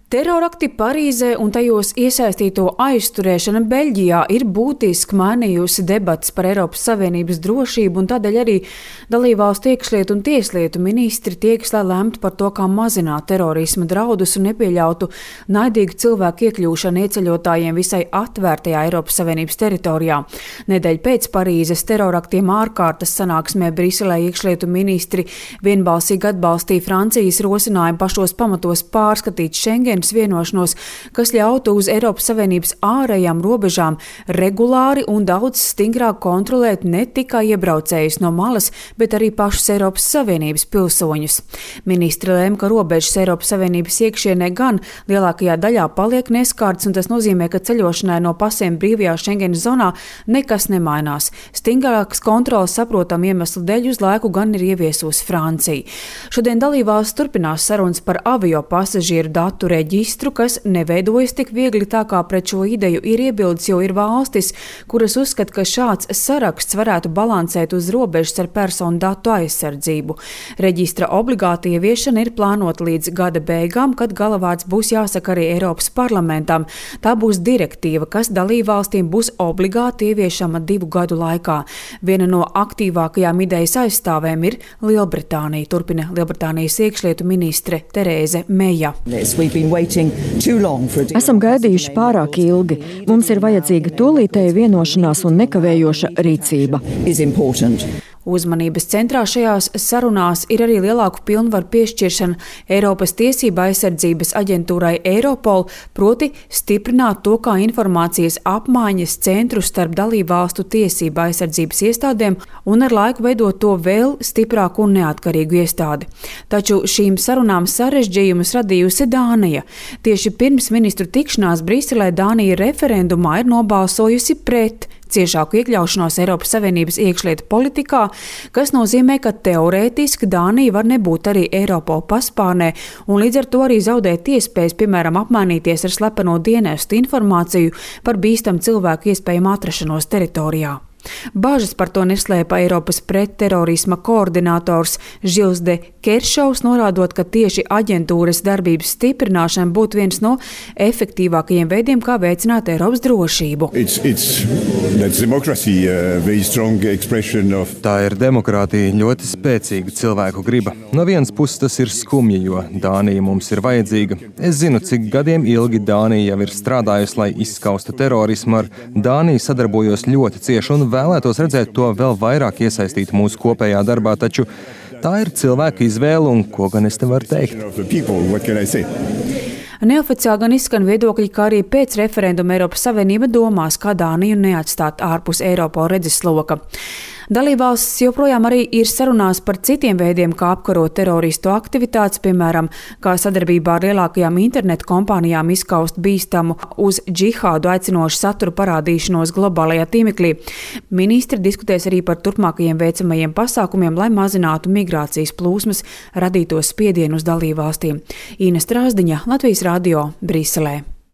Terorakti Parīzē un tajos iesaistīto aizturēšana Beļģijā ir būtiski mainījusi debates par Eiropas Savienības drošību, un tādēļ arī dalībvalstu iekšlietu un tieslietu ministri tiekas, lai lemtu par to, kā mazināt terorisma draudus un nepieļautu naidīgu cilvēku iekļūšanu ieceļotājiem visai atvērtajā Eiropas Savienības teritorijā. Nedēļu pēc Parīzes teroraktiem ārkārtas sanāksmē Briselē iekšlietu ministri vienbalsīgi atbalstīja Francijas rosinājumu pašos pamatos pārskatīt Schengen vienošanos, kas ļautu uz Eiropas Savienības ārējām robežām regulāri un daudz stingrāk kontrolēt ne tikai iebraucējus no malas, bet arī pašus Eiropas Savienības pilsoņus. Ministri lēma, ka robežas Eiropas Savienības iekšienē gan lielākajā daļā paliek neskārtas, un tas nozīmē, ka ceļošanai no pasiem brīvajā Schengenas zonā nekas nemainās. Stingrākas kontrolas saprotam iemeslu dēļ uz laiku gan ir ieviesusi Francija. Šodien dalībvalstis turpinās sarunas par avio pasažieru datu reģistru, kas neveidojas tik viegli, tā kā pret šo ideju ir iebildes, jo ir valstis, kuras uzskata, ka šāds saraksts varētu balansēt uz robežas ar personu datu aizsardzību. Reģistra obligāta ieviešana ir plānota līdz gada beigām, kad galavārds būs jāsaka arī Eiropas parlamentam. Tā būs direktīva, kas dalībvalstīm būs obligāti ieviešama 2 gadu laikā. Viena no aktīvākajām idejas aizstāvēm ir Lielbritānija, turpina Lielbritānijas iekšlietu ministre Terēze Meja. Esam gaidījuši pārāk ilgi. Mums ir vajadzīga tūlītēja vienošanās un nekavējoša rīcība. Uzmanības centrā šajās sarunās ir arī lielāku pilnvaru piešķiršana Eiropas tiesība aizsardzības aģentūrai Eiropol, proti stiprināt to kā informācijas apmaiņas centru starp dalībvalstu tiesība aizsardzības iestādēm un ar laiku veidot to vēl stiprāku un neatkarīgu iestādi. Taču šīm sarunām sarežģījumus radījusi Dānija. Tieši pirms ministru tikšanās Briselē Dānija referendumā ir nobalsojusi pret ciešāku iekļaušanos Eiropas Savienības iekšlietu politikā, kas nozīmē, ka teorētiski Dānija var nebūt arī Eiropola paspārnē un līdz ar to arī zaudēt iespējas, piemēram, apmainīties ar slepeno dienestu informāciju par bīstamu cilvēku iespējamu atrašanos teritorijā. Bāžas par to neslēpa Eiropas pretterorisma koordinators Žils de Keršovs, norādot, ka tieši aģentūras darbības stiprināšana būtu viens no efektīvākajiem veidiem, kā veicināt Eiropas drošību. Tā ir demokrātija, ļoti spēcīga cilvēku griba. No vienas puses tas ir skumji, jo Dānija mums ir vajadzīga. Es zinu, cik gadiem ilgi Dānija jau ir strādājusi, lai izskaustu terorismu. Ar Dāniju sadarbojos ļoti cieši un vēlētos redzēt to vēl vairāk iesaistīt mūsu kopējā darbā, taču tā ir cilvēka izvēle, un ko gan es te varu teikt? Neoficiāli gan izskan viedokļi, ka arī pēc referenduma Eiropas Savienība domās, kā Dāniju neatstāt ārpus Eiropola redzesloka. Dalībvalstis joprojām arī ir sarunās par citiem veidiem, kā apkarot teroristu aktivitātes, piemēram, kā sadarbībā ar lielākajām internetu kompānijām izskaust bīstamu uz džihādu aicinošu saturu parādīšanos globālajā tīmeklī. Ministri diskutēs arī par turpmākajiem veicamajiem pasākumiem, lai mazinātu migrācijas plūsmas radītos spiedienu uz dalībvalstīm. Ines Strāzdiņa, Latvijas radio, Briselē.